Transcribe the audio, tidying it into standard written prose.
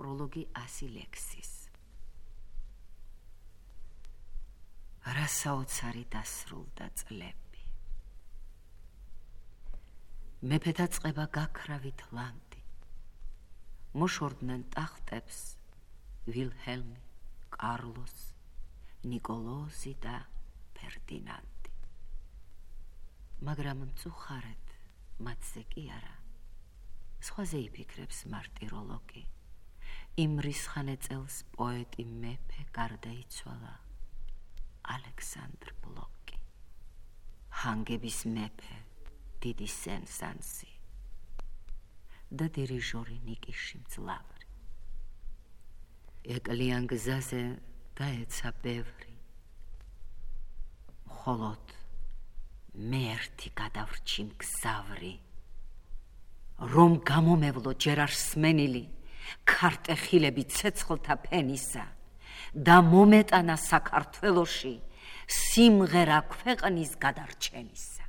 ნეკროლოგი 100 ლექსის. რა საოცარი დასრულდა წლები. მეფეთა წყება გაქრავით ლანდი. მოშორდნენ ტახტებს ვილჰელმი, კარლოს, ნიკოლოზი და ფერდინანდი. მაგრამ მწუხარედ მათზე კი არა. სხვაზე იფიქრებს მარტიროლოგი. იმ რისხანე წელს პოეტი მეფე გარდაიცვალა ალექსანდრ ბლოკი. ჰანგების მეფე დიდი სენ-სანსი და დირიჟორი ნიკიში მძლავრი. ეკლიან გზაზე დაეცა ბევრი. მხოლოდ მე ერთი გადავრჩი მგზავრი. რომ გამომევლო ჯერ არ სმენილი ქარტეხილები ცეცხლთა ფენისა და მომეტანა საქართველოში სიმღერა ქვეყნის გადარჩენისა.